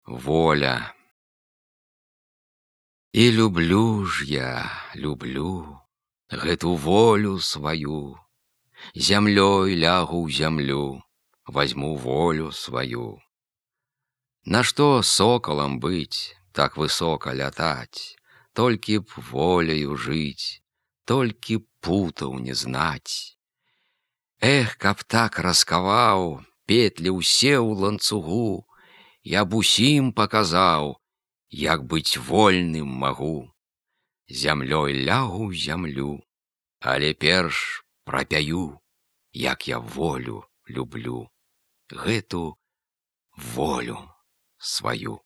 Воля. І люблю ж я, люблю гэту волю сваю. Зямлёй лягу ў зямлю, возьму волю сваю. Нашто соколам быць, так высока лятаць, толькі б воляю жыць, толькі путаў не знаць. Эх, каб так раскаваў, петлі ўсе ў ланцугу, я б усім паказаў, як быць вольным магу. Зямлёй лягу ў зямлю, але перш прапяю, як я волю люблю, гэту волю сваю.